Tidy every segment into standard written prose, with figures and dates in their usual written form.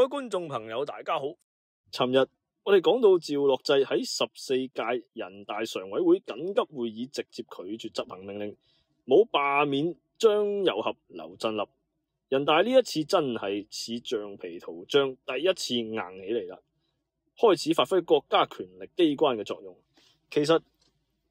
位觀眾朋友，大家好。尋日我哋講到趙樂際喺14屆人大常委會緊急會議直接拒絕執行命令，冇罷免張又俠、劉振立。人大呢一次真係似橡皮圖章，第一次硬起嚟啦，開始發揮國家權力機關嘅作用。其實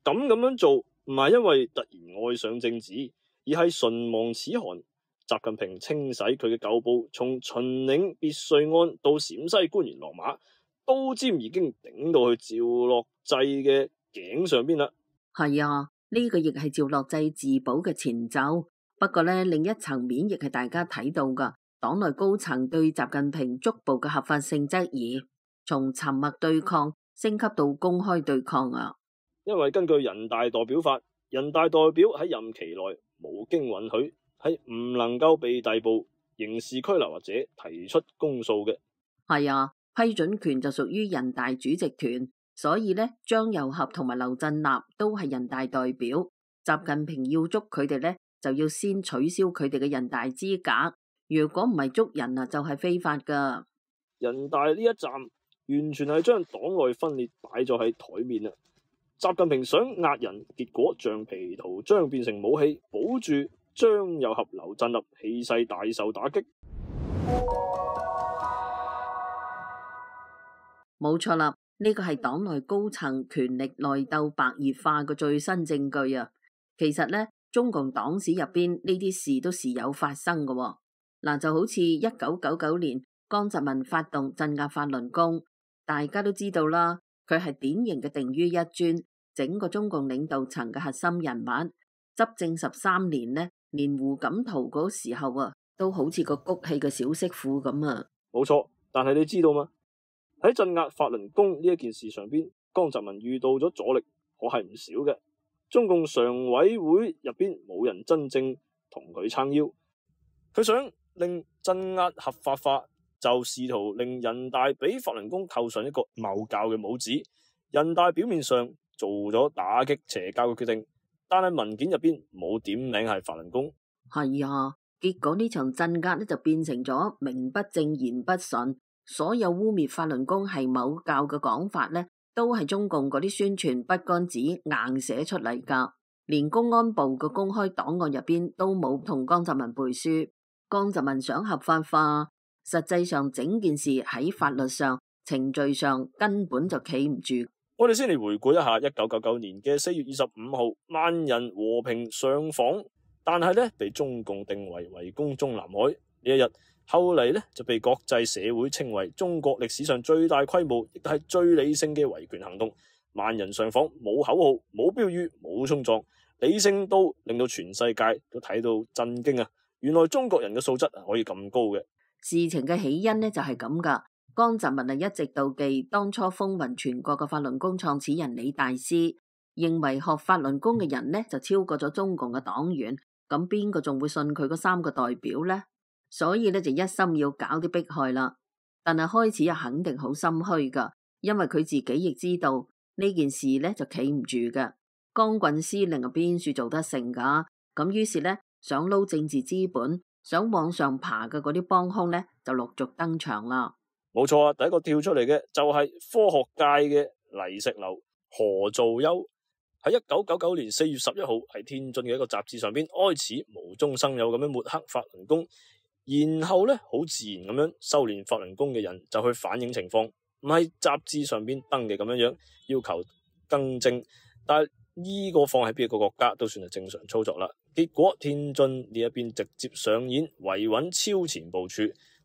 咁樣做唔係因為突然愛上政治，而係唇亡齒寒。習近平清洗佢嘅舊部，從秦嶺別墅案到陝西官員落馬，刀尖已經頂到去趙樂際嘅頸上邊啦。係啊，呢個亦係趙樂際自保嘅前奏。不過呢，另一層面亦係大家睇到噶，黨內高層對習近平逐步嘅合法性質疑，從沉默對抗升級到公開對抗啊。因為根據人大代表法，人大代表喺任期內無經允許，係唔能夠被逮捕、刑事拘留或者提出公訴嘅。係啊，批准權就屬於人大主席團，所以呢，張又俠同埋劉振立都係人大代表。習近平要捉佢哋呢，就要先取消佢哋嘅人大資格。如果唔係捉人啊，就係非法噶。人大呢一站完全係將黨內分裂擺咗喺台面啦。習近平想壓人，結果橡皮圖章變成武器，保住張又俠、劉振立氣勢大受打擊。冇錯啦，呢個係黨內高層權力內鬥白熱化嘅最新證據啊！其實呢，中共黨史入邊呢啲事都時有發生嘅喎。嗱，就好似1999年江澤民發動鎮壓法輪功，大家都知道啦，佢係典型嘅定於一尊，整個中共領導層嘅核心人物。執政13年呢，連胡錦濤嗰時候啊，都好似個谷氣嘅小媳婦咁啊！冇錯，但係你知道嗎？喺鎮壓法輪功呢一件事上邊，江澤民遇到咗阻力，可係唔少嘅。中共常委會入邊冇人真正同佢撐腰，佢想令鎮壓合法化，就試圖令人大俾法輪功扣上一個謬教嘅帽子。人大表面上做咗打擊邪教嘅決定，但係文件入邊冇點名係法輪功。係啊，結果呢場鎮壓呢就變成咗名不正言不順，所有污衊法輪功係某教嘅講法呢，都係中共嗰啲宣傳筆桿子硬寫出嚟噶。連公安部嘅公開檔案入邊都冇同江澤民背書。江澤民想合法化，實際上整件事喺法律上、程序上根本就企唔住。我哋先嚟回顧一下1999年嘅4月25號，萬人和平上訪，但係呢被中共定為圍攻中南海呢一日，後嚟呢就被國際社會稱為中國歷史上最大規模亦都係最理性嘅維權行動。萬人上訪，冇口號、冇標語、冇衝撞，理性到令到全世界都睇到震驚啊！原來中國人嘅素質可以咁高嘅。事情嘅起因呢就係咁噶。江澤民一直妒忌當初風雲全國嘅法輪功創始人李大師，認為學法輪功嘅人呢就超過咗中共嘅黨員，咁邊個仲會信佢嗰3個代表呢？所以呢就一心要搞啲迫害啦。但係開始肯定好心虛噶，因為佢自己亦知道呢件事呢就企唔住嘅。江郡司令邊處做得成噶？咁於是呢，想撈政治資本、想往上爬嘅嗰啲幫兇呢就陸續登場啦。冇錯啊，第一個跳出嚟嘅就係科學界嘅泥石流何造丘。喺1999年4月11號喺天津嘅一個雜誌上邊開始無中生有咁樣抹黑法輪功，然後呢，好自然咁樣修煉法輪功嘅人就去反映情況，唔係雜誌上邊登嘅咁樣要求更正，但係呢個放喺邊個國家都算係正常操作啦。結果天津呢一邊直接上演維穩超前部署，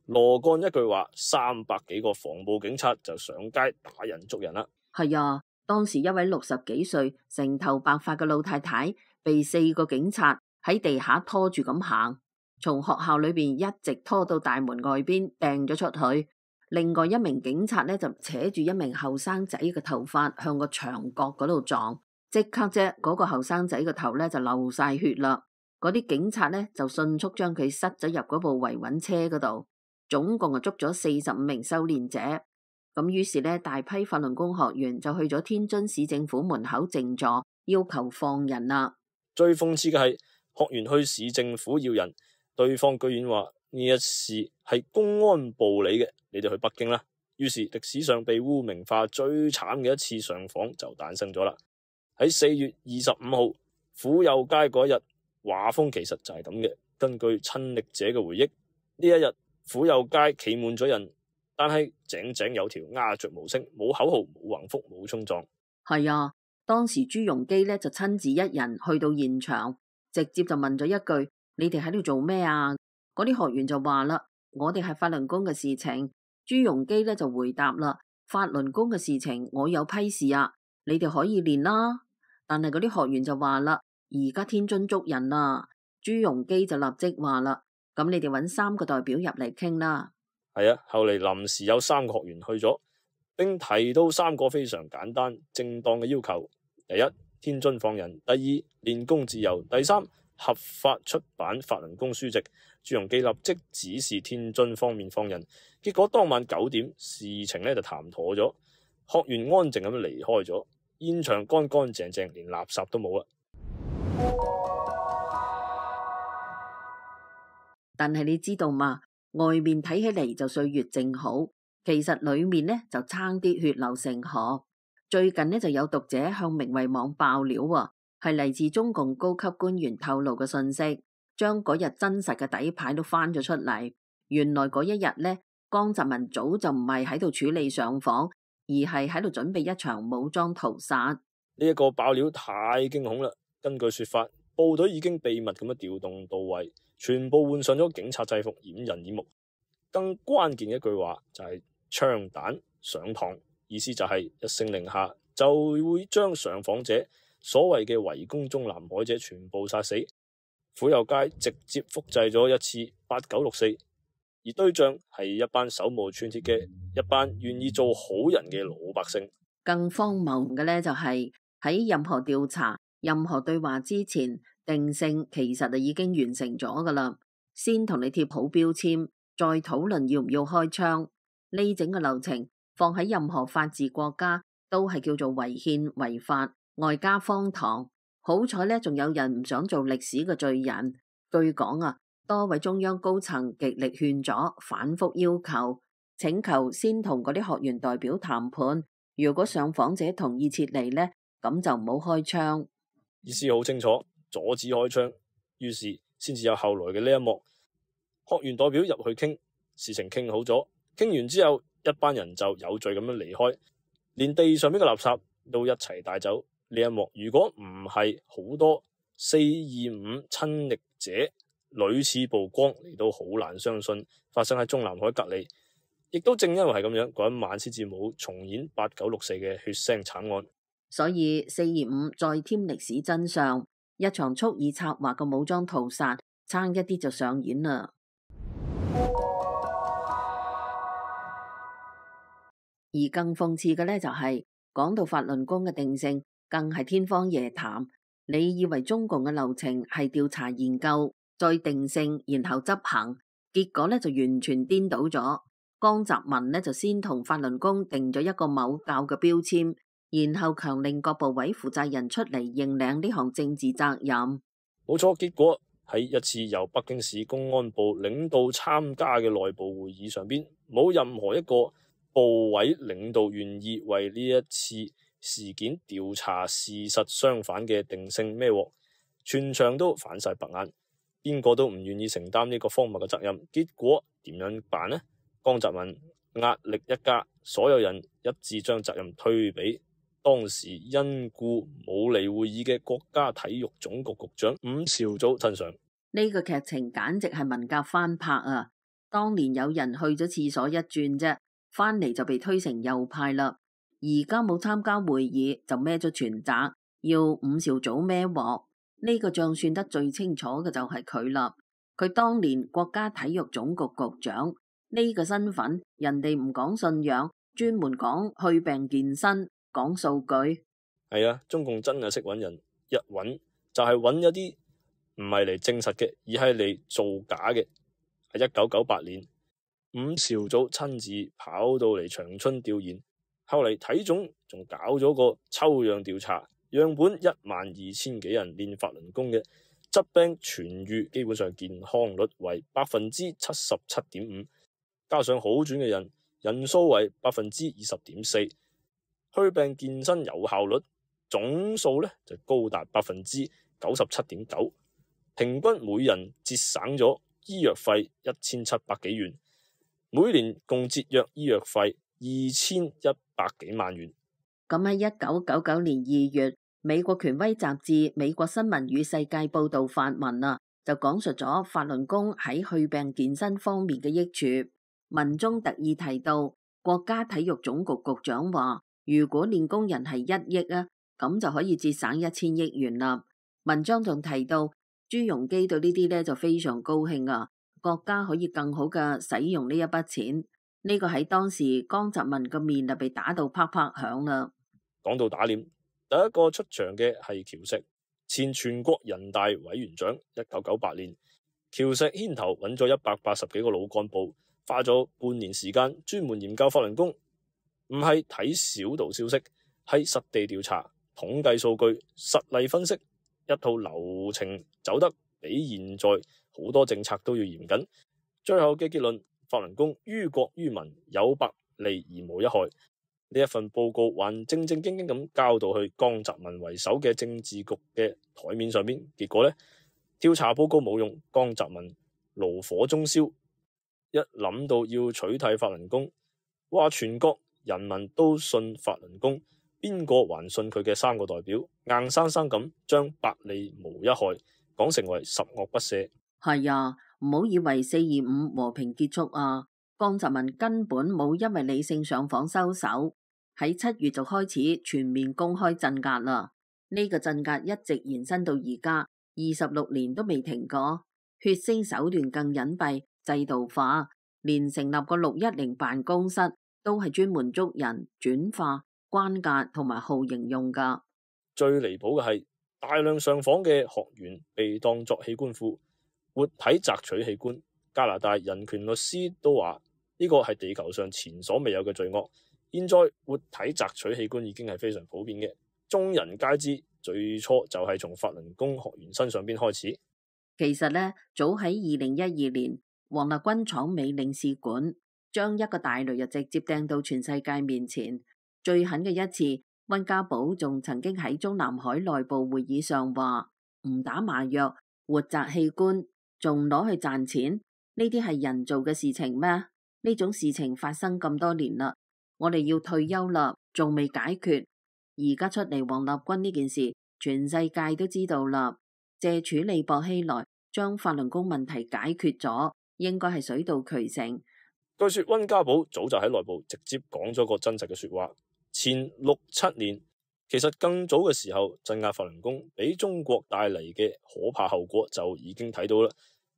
羅幹一句話，300幾個防暴警察就上街打人捉人啦。係啊，當時一位60幾歲成頭白髮嘅老太太被4個警察喺地下拖住咁行，從學校裏邊一直拖到大門外邊掟咗出去。另外一名警察呢就扯住一名後生仔嘅頭髮向個牆角嗰度撞，即刻啫嗰個後生仔個頭呢就流晒血啦。嗰啲警察呢就迅速將佢塞咗入嗰部維穩車嗰度。總共捉咗45名修煉者，咁於是呢，大批法輪功學員就去咗天津市政府門口靜坐，要求放人啦。最諷刺嘅係，學員去市政府要人，對方居然話呢一事係公安部理嘅，你哋去北京啦。於是歷史上被污名化最慘嘅一次上訪就誕生咗啦。喺4月25號府右街嗰一日，畫風其實就係咁嘅。根據親歷者嘅回憶，呢一日府右街企滿咗人，但係井井有條，鴉雀無聲，冇口號，冇橫幅，冇衝撞。係啊，當時朱鎔基呢就親自一人去到現場，直接就問咗一句：你哋喺度做咩啊？嗰啲學員就話啦：我哋係法輪功嘅事情。朱鎔基呢就回答啦：法輪功嘅事情我有批示啊，你哋可以練啦。但係嗰啲學員就話啦：而家天津捉人啦。朱鎔基就立即話啦：咁你哋揾3個代表入嚟傾啦。係啊，後嚟臨時有3個學員去咗，並提到3個非常簡單正當嘅要求：第一，天津放人；第二，練功自由；第三，合法出版法輪功書籍。朱鎔基立即指示天津方面放人。結果當晚9點，事情呢就談妥咗，學員安靜咁離開咗，現場乾乾淨淨，連垃圾都冇啦。但係你知道嘛？外面睇起嚟就歲月靜好，其實裏面呢就差啲血流成河。最近呢就有讀者向明慧網爆料喎，係嚟自中共高級官員透露嘅信息，將嗰日真實嘅底牌都翻咗出嚟。原來嗰一日呢，江澤民早就唔係喺度處理上訪，而係喺度準備一場武裝屠殺。呢一個爆料太驚恐啦！根據說法，部隊已經秘密咁樣調動到位，全部換上咗警察制服，掩人耳目。更關鍵嘅一句話就係槍彈上膛，意思就係一聲令下就會將上訪者所謂嘅圍攻中南海者全部殺死。府右街直接複製咗一次8964，而對象係一班手無寸鐵嘅一班願意做好人嘅老百姓。更荒謬嘅呢，就係喺任何調查、任何對話之前，定性其實就已經完成咗噶啦。先同你貼好標籤，再討論要唔要開槍。呢整個流程放喺任何法治國家都係叫做違憲違法，外加荒唐。好彩呢，仲有人唔想做歷史嘅罪人。據講啊，多位中央高層極力勸阻，反覆要求，請求先同嗰啲學員代表談判。如果上訪者同意撤離呢，咁就唔好開槍。意思好清楚，阻止開槍。於是先至有後來嘅呢一幕。學員代表入去傾，事情傾好咗，傾完之後，一班人就有序咁樣離開，連地上邊嘅垃圾都一齊帶走。呢一幕如果唔係好多425親歷者屢次曝光，你都好難相信發生喺中南海隔離。亦都正因為係咁樣，嗰一晚先至冇重演8964嘅血腥慘案。所以425再添歷史真相，一場蓄意策劃嘅武裝屠殺，差一啲就上演啦。而更諷刺嘅呢，就係講到法輪功嘅定性，更係天方夜譚。你以為中共嘅流程係調查研究，再定性，然後執行，結果呢就完全顛倒咗。江澤民呢就先同法輪功定咗一個某教嘅標籤，然後強令各部委負責人出嚟認領呢項政治責任。冇錯，結果喺一次由北京市公安部領導參加嘅內部會議上邊，冇任何一個部委領導願意為呢一次事件調查事實相反嘅定性孭鑊，全場都反晒白眼，邊個都唔願意承擔呢個荒謬嘅責任。結果點樣辦呢？江澤民壓力一加，所有人一致將責任推俾當時因故冇嚟會議嘅國家體育總局局長伍兆祖身上。呢個劇情簡直係文革翻拍啊！當年有人去咗廁所一轉啫，翻嚟就被推成右派啦。而家冇參加會議就孭咗全責，要伍兆祖孭鑊。呢個賬算得最清楚嘅就係佢啦。佢當年國家體育總局局長呢個身份，人哋唔講信仰，專門講去病健身，講數據。係啊，中共真係識揾人，一揾就係揾一啲唔係嚟證實嘅，而係嚟造假嘅。喺1998年，伍兆祖親自跑到嚟長春調研，後嚟體總仲搞咗個抽樣調查，樣本12000幾人練法輪功嘅，疾病痊癒基本上健康率為77.5%，加上好轉嘅人數為20.4%，祛病健身有效率總數呢就高達97.9%，平均每人節省咗醫藥費1700幾元，每年共節約醫藥費2100幾萬元。咁喺1999年2月，美國權威雜誌《美國新聞與世界》報道發文啊，就講述咗法輪功喺祛病健身方面嘅益處。文中特意提到，國家體育總局局長話，如果練功人係1億啊，咁就可以節省1000億元啦。文章仲提到，朱鎔基對呢啲呢就非常高興啊，國家可以更好嘅使用呢一筆錢。呢個喺當時江澤民嘅面就被打到啪啪響啦。講到打臉，第一個出場嘅係喬石，前全國人大委員長。1998年，喬石牽頭揾咗180幾個老幹部，花咗半年時間專門研究法輪功，唔係睇小道消息，係實地調查、統計數據、實例分析，一套流程走得比現在好多政策都要嚴謹。最後嘅結論，法輪功於國於民，有百利而無一害。呢一份報告還正正經經咁交到去江澤民為首嘅政治局嘅台面上邊，結果呢，調查報告冇用，江澤民爐火中燒，一諗到要取締法輪功，話全國人民都信法輪功，邊個還信佢嘅3個代表，硬生生咁將百利無一害講成為十惡不赦。係啊，唔好以為4.25和平結束啊，江澤民根本冇因為理性上訪收手，喺7月就開始全面公開鎮壓啦。呢個鎮壓一直延伸到而家26年都未停過，血腥手段更隱蔽、制度化，連成立個610辦公室都係專門捉人、轉化、關押同埋酷刑用噶。最離譜嘅係大量上訪嘅學員被當作器官庫，活體摘取器官。加拿大人權律師都話呢個係地球上前所未有嘅罪惡。現在活體摘取器官已經係非常普遍嘅，眾人皆知。最初就係從法輪功學員身上邊開始。其實呢，早喺2012年，王立軍闖美領事館，將一個大雷就直接掟到全世界面前。最狠嘅一次，溫家寶仲曾經喺中南海內部會議上話唔打麻藥，活摘器官，仲攞去賺錢，呢啲係人做嘅事情咩？呢種事情發生咁多年啦，我哋要退休啦，仲未解決。而家出嚟王立軍呢件事，全世界都知道啦。借處理薄熙來，將法輪功問題解決咗，應該係水到渠成。據說溫家寶早就喺內部直接講咗個真實嘅說話。前6-7年，其實更早嘅時候，鎮壓法輪功俾中國帶嚟嘅可怕後果就已經睇到啦。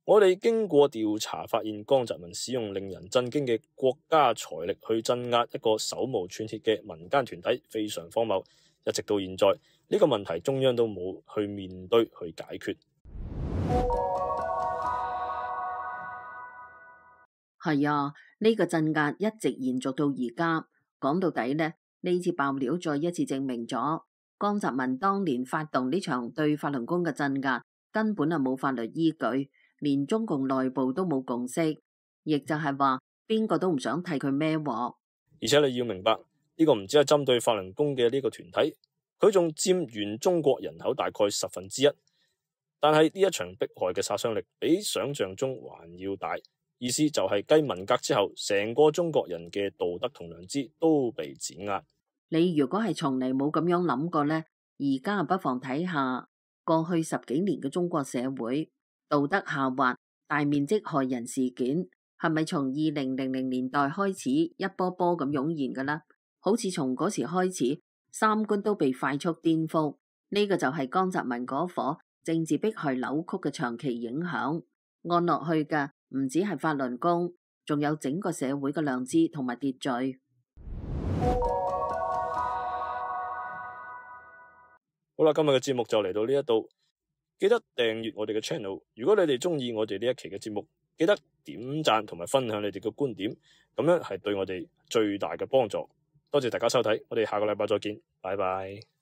我哋經過調查發現，江澤民使用令人震驚嘅國家財力去鎮壓一個手無寸鐵嘅民間團體，非常荒謬。一直到現在，呢個問題中央都冇去面對去解決。係啊，呢個鎮壓一直延續到而家。講到底呢，呢次爆料再一次證明咗江澤民當年發動呢場對法輪功嘅鎮壓根本係冇法律依據，連中共內部都冇共識，亦就係話邊個都唔想替佢孭鑊。而且你要明白，呢個唔只係針對法輪功嘅呢個團體，佢仲佔全中國人口大概1/10。但係呢一場迫害嘅殺傷力比想象中還要大。意思就係繼文革之後，成個中國人嘅道德同良知都被碾壓。你如果係從嚟冇咁樣諗過呢，而家不妨睇下過去10幾年嘅中國社會道德下滑、大面積害人事件，係咪從2000年代開始一波波咁湧現㗎啦？好似從嗰時開始，三觀都被快速顛覆。呢個就係江澤民嗰顆政治迫害扭曲嘅長期影響，按落去嘅唔止係法輪功，仲有整個社會嘅良知同埋秩序。好啦，今日嘅節目就嚟到呢一度，記得訂閱我哋嘅 channel。如果你哋中意我哋呢一期嘅節目，記得點讚同埋分享你哋嘅觀點，咁樣係對我哋最大嘅幫助。多謝大家收睇，我哋下個禮拜再見，拜拜。